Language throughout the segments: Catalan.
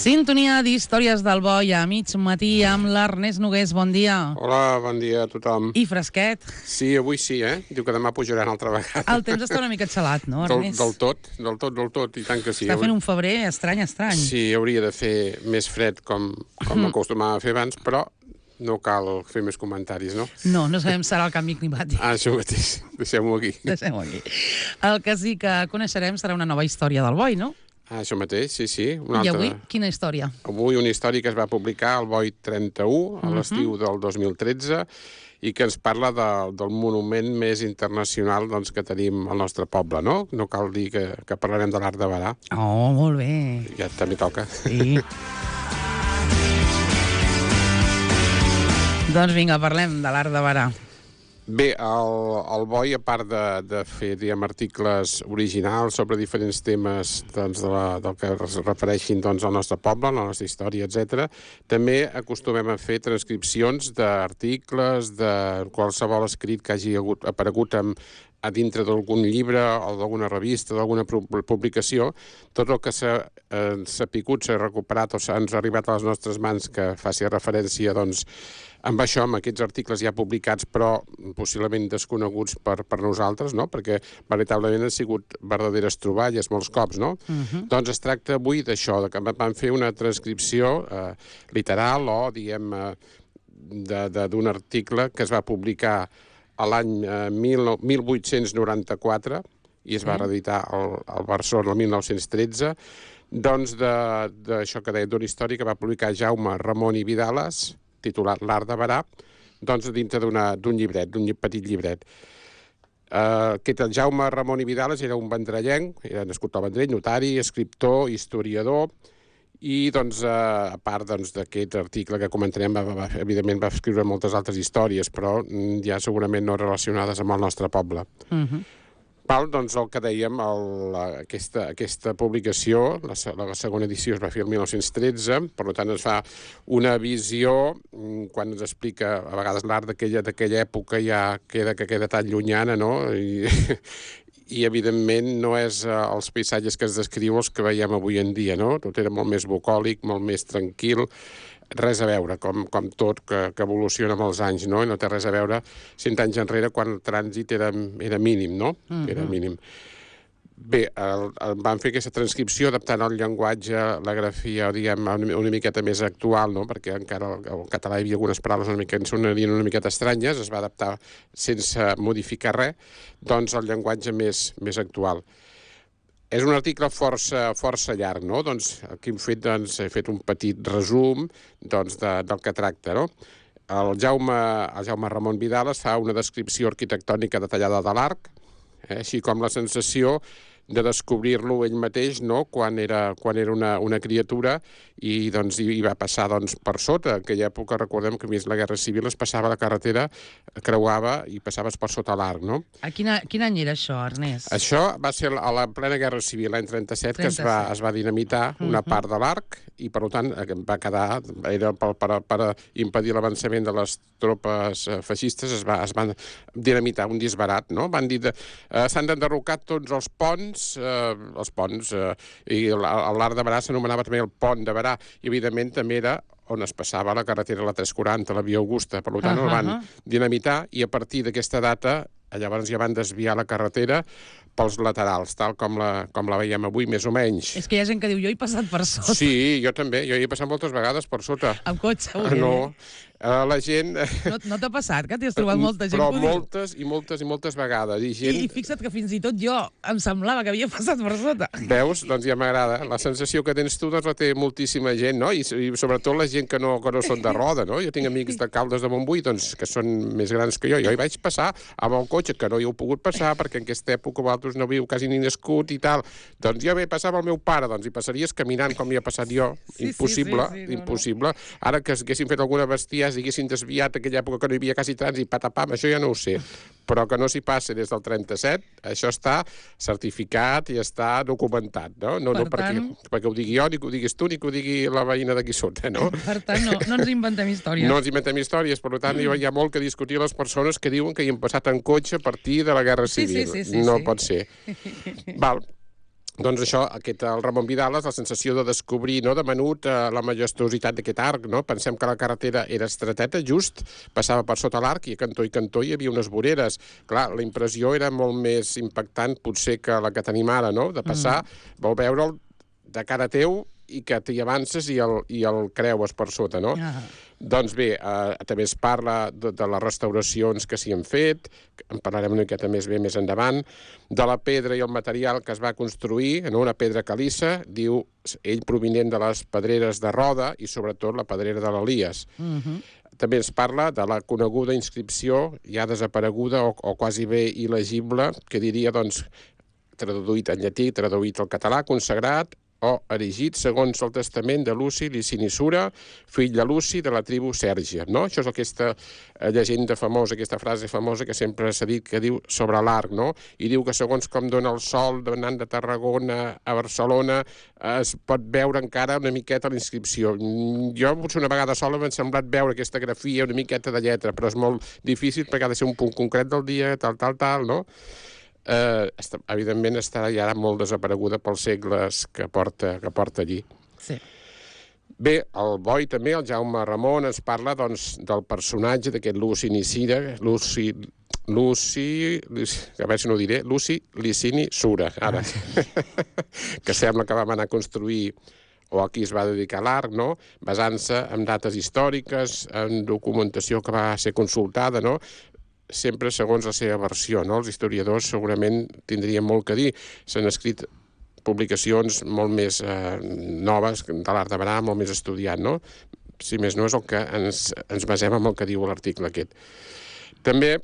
Sintonia d'Històries del Boi a mig matí amb l'Ernest Nogués. Bon dia. Hola, bon dia a tothom. I fresquet. Sí, avui sí, Diu que demà pujaran altra vegada. El temps està una mica xalat, no, Ernest? Del tot, i tant que sí. Està fent un febrer estrany. Sí, hauria de fer més fred com acostumava a fer abans, però no cal fer més comentaris, no? No sabem serà el canvi climàtic. Això mateix, deixem-ho aquí. El que sí que coneixerem serà una nova història del Boi, no? Això mateix, sí. I avui, quina història? Avui una història que es va publicar al Boi 31, a l'estiu del 2013, i que ens parla del monument més internacional que tenim al nostre poble, no? No cal dir que parlarem de l'Arc de Berà. Oh, molt bé. Ja també toca. Sí. Doncs vinga, parlem de l'Arc de Berà. Bé, el Boi, a part de fer, articles originals sobre diferents temes del que es refereixin al nostre poble, a la nostra història, etc., també acostumem a fer transcripcions d'articles, de qualsevol escrit que hagi aparegut a dintre d'algun llibre o d'alguna revista, d'alguna publicació. Tot el que s'ha picut, s'ha recuperat o ens ha arribat a les nostres mans que faci referència, amb això, amb aquests articles ja publicats, però possiblement desconeguts per nosaltres, no? Perquè veritablement han sigut verdaderes troballes molts cops, no? Doncs es tracta avui d'això, que vam fer una transcripció literal o, d'un article que es va publicar a l'any 1894 i es va reeditar al Barcelona el 1913, d'això que deia, d'una història que va publicar Jaume Ramon i Vidales, titulat L'Arc de Berà, dintre d'un llibret, d'un petit llibret. Aquest Jaume Ramon i Vidales era un vendrellenc, era nascut al Vendrell, notari, escriptor, historiador, i a part d'aquest article que comentarem, evidentment va escriure moltes altres històries, però ja segurament no relacionades amb el nostre poble. El que dèiem, aquesta publicació, la segona edició es va fer el 1913, per tant es fa una visió, quan ens explica a vegades l'art d'aquella època ja queda tan llunyana, no? I evidentment no és els paisatges que es descriu els que veiem avui en dia, no? Tot era molt més bucòlic, molt més tranquil, res a veure, com tot que evoluciona amb els anys, no? I no té res a veure 100 anys enrere quan el trànsit era mínim, no? Era mínim. Bé, vam fer aquesta transcripció adaptant el llenguatge, la grafia, una miqueta més actual, no? Perquè encara al català hi havia algunes paraules que sonarien una miqueta estranyes, es va adaptar sense modificar res, el llenguatge més actual. És un article força llarg, no? Aquí he fet un petit resum del que tracta, no? El Jaume Ramon Vidales fa una descripció arquitectònica detallada de l'arc, així com la sensació de descobrir-lo ell mateix, no? Quan era una criatura i va passar per sota. En aquella època, recordem que a més la Guerra Civil es passava la carretera, creuava i passaves per sota l'arc, no? A quin any era això, Ernest? Això va ser a la plena Guerra Civil, l'any 37, que es va dinamitar una part de l'arc i, per tant, va quedar, era per impedir l'avançament de les tropes feixistes, es van dinamitar un disbarat, no? Van dir s'han d'enderrocar tots els ponts, i l'Arc de Berà s'anomenava també el Pont de Berà, i evidentment també era on es passava la carretera, la 340, la Via Augusta. Per tant, el van dinamitar i a partir d'aquesta data llavors ja van desviar la carretera pels laterals, tal com la veiem avui, més o menys. És que hi ha gent que diu, jo he passat per sota. Sí, jo també, jo hi he passat moltes vegades per sota. Amb cotxe, no. La gent... No t'ha passat, que t'has trobat molta gent? Però moltes vegades. I fixa't que fins i tot jo em semblava que havia passat per sota. Veus? Doncs ja m'agrada. La sensació que tens tu la té moltíssima gent, no? I sobretot la gent que no són de roda, no? Jo tinc amics de Caldes de Montbui, que són més grans que jo. Jo hi vaig passar amb el cotxe, que no hi heu pogut passar, perquè en aquesta època vosaltres no havíeu quasi ni nascut i tal. Doncs jo passava amb el meu pare, hi passaries caminant com hi he passat jo. Impossible, impossible. Ara que haguéssim fet alguna bestiesa, diguessin desviat aquella època que no hi havia quasi trànsit, patapam, això ja no ho sé. Però que no s'hi passa des del 37, això està certificat i està documentat, no? No perquè ho digui jo, ni que ho diguis tu, ni que ho digui la veïna d'aquí sota, no? Per tant, no ens inventem històries. No ens inventem històries, per tant, hi ha molt que discutir les persones que diuen que hi han passat en cotxe a partir de la Guerra Civil. Sí. No pot ser. Val. Doncs això, el Ramon Vidales, la sensació de descobrir, no, de menut, la majestuositat d'aquest arc, no? Pensem que la carretera era estreteta, just, passava per sota l'arc i a cantó hi havia unes voreres. Clar, la impressió era molt més impactant potser que la que tenim ara, no? De passar, vol veure'l de cara teu i que t'hi avances i el creues per sota, no? Doncs bé, també es parla de les restauracions que s'hi han fet, en parlarem una miqueta més bé més endavant, de la pedra i el material que es va construir, no? Una pedra caliça, diu ell provinent de les pedreres de Roda i sobretot la pedrera de l'Elies. També es parla de la coneguda inscripció ja desapareguda o quasi bé il·legible, que diria, doncs, traduït en llatí, traduït al català, consagrat o erigit segons el testament de Luci Licini Sura, fill de Luci de la tribu Sèrgia, no? Això és aquesta llegenda famosa, aquesta frase famosa que sempre s'ha dit que diu sobre l'arc, no? I diu que segons com dona el sol anant de Tarragona a Barcelona es pot veure encara una miqueta la inscripció. Jo potser una vegada sola m'ha semblat veure aquesta grafia, una miqueta de lletra, però és molt difícil perquè ha de ser un punt concret del dia, tal, no? Evidentment estarà ja molt desapareguda pels segles que porta allí. Sí. Bé, el Boi també, el Jaume Ramon, ens parla doncs, del personatge d'aquest Luci Nicida, Luci, a veure si no ho diré, Luci Licini Sura, ara, que sembla que vam anar a construir o a qui es va dedicar l'arc, no? Basant-se en dates històriques, en documentació que va ser consultada, no? Sempre segons la seva versió, no? Els historiadors segurament tindrien molt que dir. S'han escrit publicacions molt més noves de l'art de Barà, molt més estudiat, no? Si més no és el que ens basem en el que diu l'article aquest. També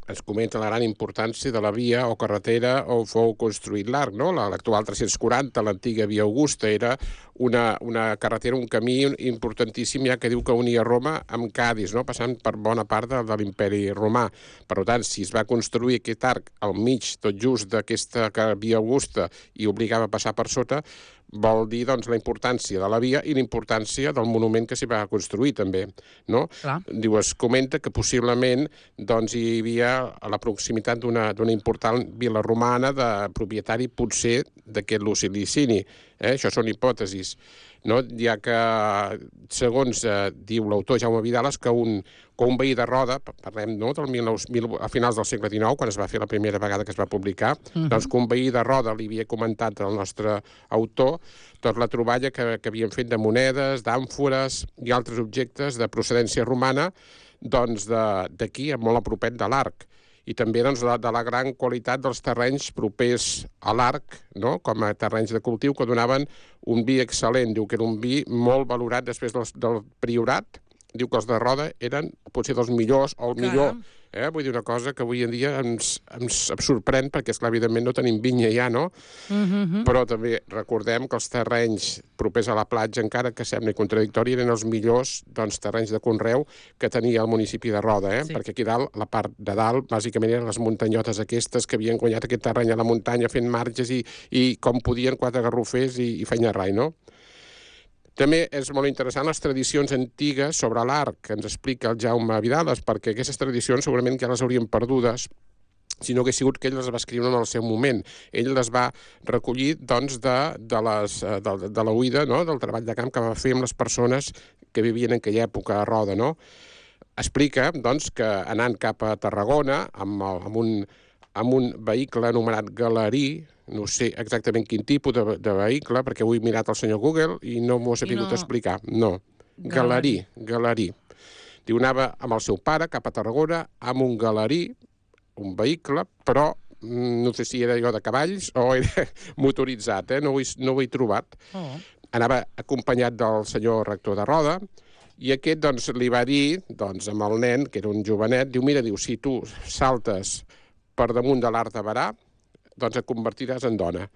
ens comenta la gran importància de la via o carretera on fou construït l'arc, no? L'actual 340, l'antiga via Augusta, era una carretera, un camí importantíssim, ja que diu que unia Roma amb Cadis, no? Passant per bona part de l'imperi romà. Per tant, si es va construir aquest arc al mig, tot just d'aquesta via Augusta, i obligava a passar per sota, vol dir doncs, la importància de la via i la importància del monument que s'hi va construir, també. No? Diu, es comenta que possiblement doncs, hi havia a la proximitat d'una important vila romana de propietari potser d'aquest Luci Licini. Això són hipòtesis. No? Ja que, segons diu l'autor Jaume Vidales, que un veí de Roda, parlem no, a finals del segle XIX, quan es va fer la primera vegada que es va publicar, doncs que un veí de Roda li havia comentat al nostre autor doncs la troballa que havien fet de monedes, d'àmfores i altres objectes de procedència romana doncs d'aquí, molt a propet de l'arc. I també doncs, de la gran qualitat dels terrenys propers a l'arc, no? Com a terrenys de cultiu que donaven un vi excel·lent. Diu que era un vi molt valorat després del priorat. Diu que els de Roda eren potser dels millors o el millor. Vull dir una cosa que avui en dia ens sorprèn perquè, esclar, evidentment no tenim vinya ja, no? Però també recordem que els terrenys propers a la platja, encara que sembli contradictori, eren els millors doncs, terrenys de conreu que tenia el municipi de Roda, perquè aquí dalt, la part de dalt, bàsicament eren les muntanyotes aquestes que havien guanyat aquest terreny a la muntanya fent marges i com podien 4 garrofers i feina rai, no? També és molt interessant les tradicions antigues sobre l'arc que ens explica el Jaume Vidales, perquè aquestes tradicions segurament ja les haurien perdudes si no hagués sigut que ell les va escriure en el seu moment. Ell les va recollir doncs, de la huida, no? Del treball de camp que va fer amb les persones que vivien en aquella època a Roda. No? Explica doncs, que anant cap a Tarragona amb un vehicle anomenat Galerí, no sé exactament quin tipus de vehicle, perquè ho he mirat al senyor Google i no m'ho ha sabut explicar. No, Galerí. Diu, anava amb el seu pare cap a Tarragona amb un Galerí, un vehicle, però no sé si era allò de cavalls o era motoritzat, no ho he trobat. Anava acompanyat del senyor rector de Roda, i aquest doncs, li va dir doncs, amb el nen, que era un jovenet, diu, mira, si tu saltes per damunt de l'Arc de Barà, doncs et convertiràs en dona.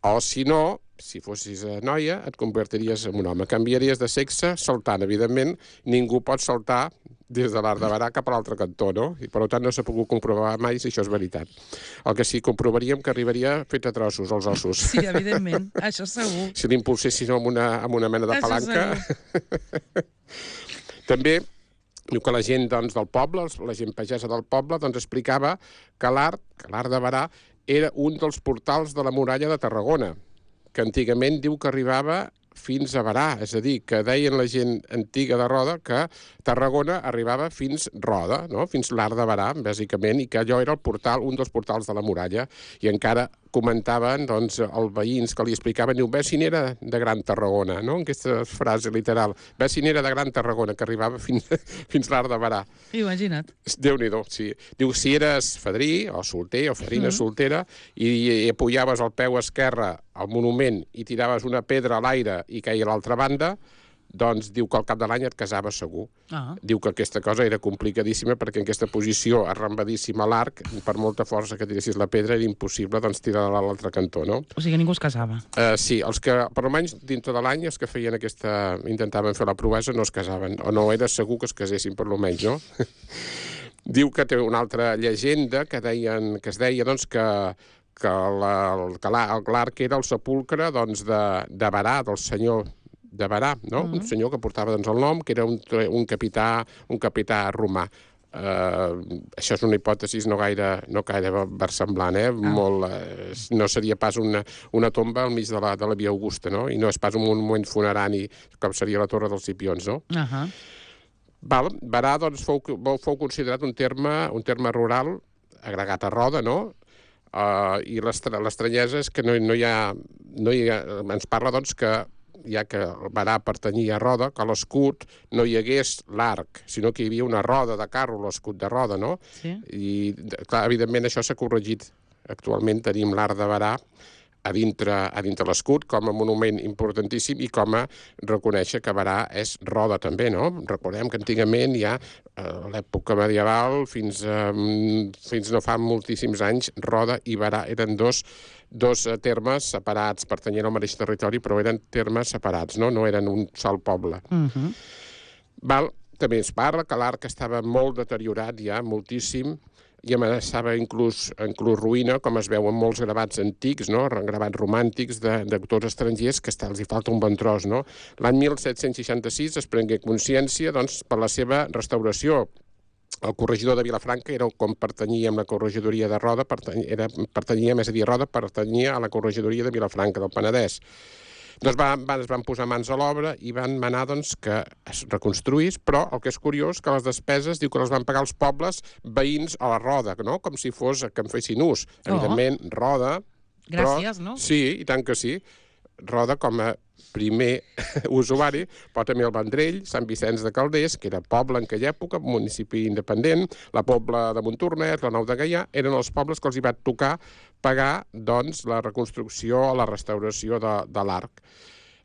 O si no, si fossis noia, et convertiries en un home. Canviaries de sexe saltant. Evidentment, ningú pot saltar des de l'Arc de Barà cap a l'altre cantó, no? I per tant no s'ha pogut comprovar mai si això és veritat. El que sí comprovaríem que arribaria fet a trossos, els ossos. Sí, evidentment, això segur. Si l'impulséssim amb una mena de palanca. També diu que la gent doncs, del poble, la gent pagesa del poble, doncs explicava que l'art de Barà era un dels portals de la muralla de Tarragona, que antigament diu que arribava fins a Berà, és a dir, que deien la gent antiga de Roda que Tarragona arribava fins Roda, no? Fins l'Arc de Berà, bàsicament, i que allò era el portal, un dels portals de la muralla, i encara comentaven, doncs, els veïns que li explicaven, diu, ves si n'era de Gran Tarragona, no? Aquesta frase literal, ves si n'era de Gran Tarragona, que arribava fins l'Arc de Berà. Imagina't. Déu-n'hi-do, sí. Diu, si eres fadrí, o solter, o fadrina soltera, i apoyaves el peu esquerre al monument i tiraves una pedra a l'aire i caia a l'altra banda, doncs diu que al cap de l'any et casaves segur. Diu que aquesta cosa era complicadíssima perquè en aquesta posició arrambadíssima a l'arc, per molta força que tiressis la pedra, era impossible doncs, tirar-la a l'altre cantó, no? O sigui, ningú es casava. Sí, els que, per almenys, dintre de l'any, els que feien intentaven fer la proesa no es casaven, o no era segur que es casessin, per almenys, no? Diu que té una altra llegenda que es deia doncs, que l'arc era el sepulcre doncs, de Berà, del senyor de Berà, no? Un senyor que portava doncs, el nom, que era un capità romà. Això és una hipòtesi no gaire versemblant, no seria pas una tomba al mig de la Via Augusta, no? I no és pas un monument funerari com seria la Torre dels Cipions, no? Berà doncs, fou considerat un terme rural agregat a Roda, no? I l'estranyesa és que no hi ha... Ens parla doncs que ja que Berà pertanyia a Roda, que a l'escut no hi hagués l'arc, sinó que hi havia una roda de carro, l'escut de Roda, no? Sí. I, clar, evidentment, això s'ha corregit. Actualment tenim l'arc de Berà a dintre l'escut com a monument importantíssim i com a reconèixer que Berà és Roda també, no? Recordem que antigament ja a l'època medieval fins no fa moltíssims anys Roda i Berà eren dos termes separats, pertanyien al mateix territori, però eren termes separats, no eren un sol poble. També es parla que l'arc estava molt deteriorat ja, moltíssim, i amenaçava inclús ruïna, com es veu en molts gravats antics, no? Gravats romàntics d'autors estrangers, que els hi falta un bon tros, no? L'any 1766 es prengué consciència doncs, per la seva restauració. El corregidor de Vilafranca era com pertanyia amb la corregidoria de Roda, pertanyia a la corregidoria de Vilafranca, del Penedès. Doncs es van posar mans a l'obra i van manar doncs, que es reconstruís, però el que és curiós que les despeses diu que les van pagar els pobles veïns a la Roda, no? Com si fos que en fessin ús. Evidentment, Roda... Gràcies, no? Sí, i tant que sí. Roda com a primer usuari, però també el Vendrell, Sant Vicenç de Calders, que era poble en aquella època, municipi independent, la Pobla de Montornès, la Nou de Gaià, eren els pobles que els hi va tocar pagar doncs, la reconstrucció o la restauració de l'arc.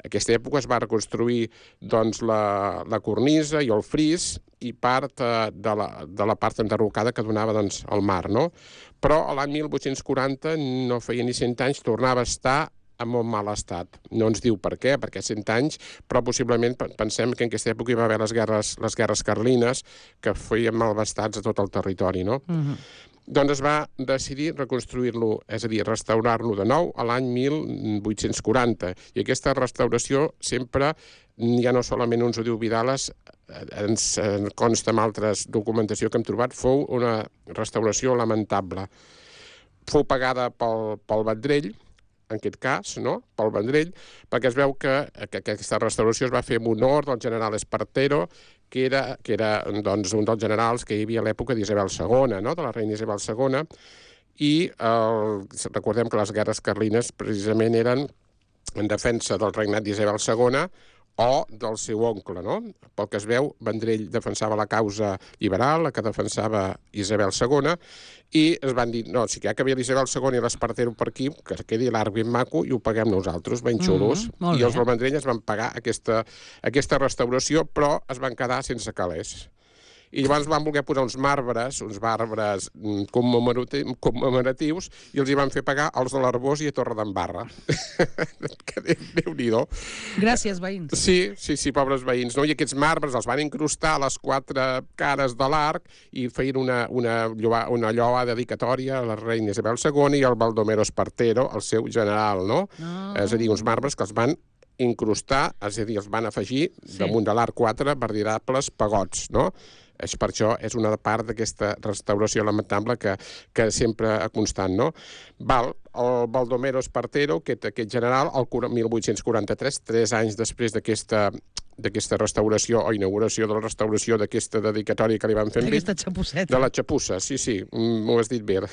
En aquesta època es va reconstruir doncs, la cornisa i el fris i part de la part enderrocada que donava doncs, al mar, no? Però l'any 1840, no feia ni 100 anys, tornava a estar en molt mal estat. No ens diu per què, perquè 100 anys, però possiblement pensem que en aquesta època hi va haver les guerres carlines que feien malvestats a tot el territori, no? Doncs es va decidir reconstruir-lo, és a dir, restaurar-lo de nou a l'any 1840. I aquesta restauració sempre, ja no solament uns ho diu Vidales, ens consta amb altres documentació que hem trobat, fou una restauració lamentable. Fou pagada pel Vendrell, en aquest cas, no? Pel Vendrell, perquè es veu que aquesta restauració es va fer en honor del general Espartero, que era doncs, un dels generals que hi havia a l'època d'Isabel II, no? De la reina Isabel II, i recordem que les guerres carlines precisament eren en defensa del regnat d'Isabel II o del seu oncle, no? Pel que es veu, Vendrell defensava la causa liberal, la que defensava Isabel II, i es van dir, no, si ja que havia l'Isabel II i l'Espartero per aquí, que quedi l'arc ben maco i ho paguem nosaltres, ben xulos. I els del Vendrell es van pagar aquesta restauració, però es van quedar sense calés. I llavors van voler posar uns marbres commemoratius, i els hi van fer pagar els de l'Arbós i a Torredembarra. Déu-n'hi-do. Gràcies, veïns. Sí, pobres veïns. No? I aquests marbres els van incrustar a les 4 cares de l'arc i feien una lloa dedicatòria a la reina Isabel II i al Baldomero Espartero, el seu general, no? És a dir, uns marbres que els van incrustar, és a dir, els van afegir damunt de l'arc 4 veritables pagots, no? És per això és una part d'aquesta restauració lamentable que sempre constant, no? El Baldomero Espartero, aquest general, el 1843, 3 anys després d'aquesta restauració o inauguració de la restauració d'aquesta dedicatòria que li van fer amb ell. Aquesta xapuseta. De la xapussa, sí, m'ho has dit bé.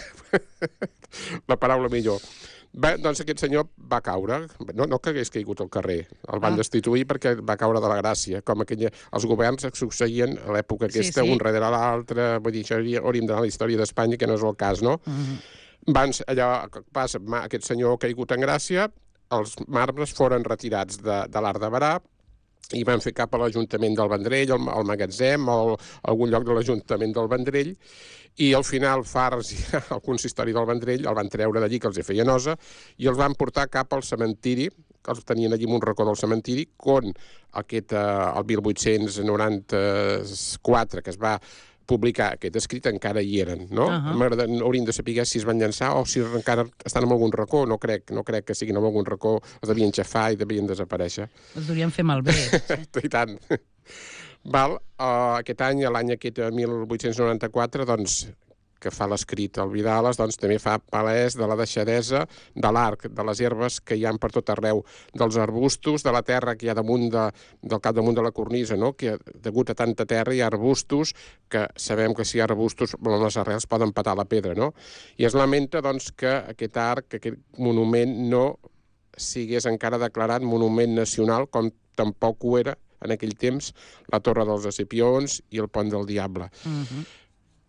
La paraula millor. Bé, doncs aquest senyor va caure, no que hagués caigut al carrer, el van destituir perquè va caure de la gràcia, com els governs succeïen a l'època aquesta, un darrere l'altre, vull dir, això hauríem d'anar a la història d'Espanya, que no és el cas, no? Aquest senyor caigut en gràcia, els marbres foren retirats de l'Arc de Berà, i van fer cap a l'Ajuntament del Vendrell, al magatzem, o algun lloc de l'Ajuntament del Vendrell, i al final Fars i el consistori del Vendrell el van treure d'allí, que els feia nosa, i els van portar cap al cementiri, que els tenien allí en un racó del cementiri, quan el 1894, que es va publicar aquest escrit, encara hi eren, no? Hauríem de saber si es van llançar o si encara estan en algun racó. No crec que siguin en algun racó, els devien xafar i devien desaparèixer. Els deurien fer malbé. I tant. Aquest any, l'any aquest 1894, doncs, que fa l'escrit al Vidales, doncs també fa palès de la deixadesa de l'arc, de les herbes que hi ha per tot arreu, dels arbustos, de la terra que hi ha del capdamunt de la cornisa, no? Que degut a tanta terra hi ha arbustos, que sabem que si hi ha arbustos les arrels poden petar la pedra, no? I es lamenta, doncs, que aquest arc, aquest monument, no sigués encara declarat monument nacional, com tampoc ho era en aquell temps la Torre dels Escipions i el Pont del Diable.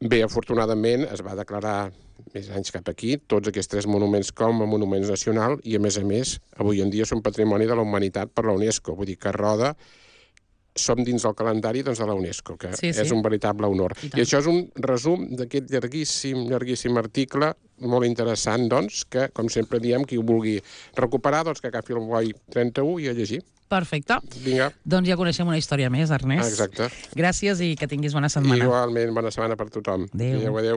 Bé, afortunadament, es va declarar més anys cap aquí, tots aquests 3 monuments com a monuments nacionals i, a més, avui en dia són patrimoni de la humanitat per la UNESCO. Vull dir que Roda som dins del calendari de la UNESCO, que és un veritable honor. I això és un resum d'aquest llarguíssim article, molt interessant, doncs, que, com sempre diem, qui ho vulgui recuperar, doncs que agafi el Boi 31 i a llegir. Perfecte. Vinga. Doncs ja coneixem una història més, Ernest. Exacte. Gràcies i que tinguis bona setmana. Igualment, bona setmana per tothom. Adéu. Adéu.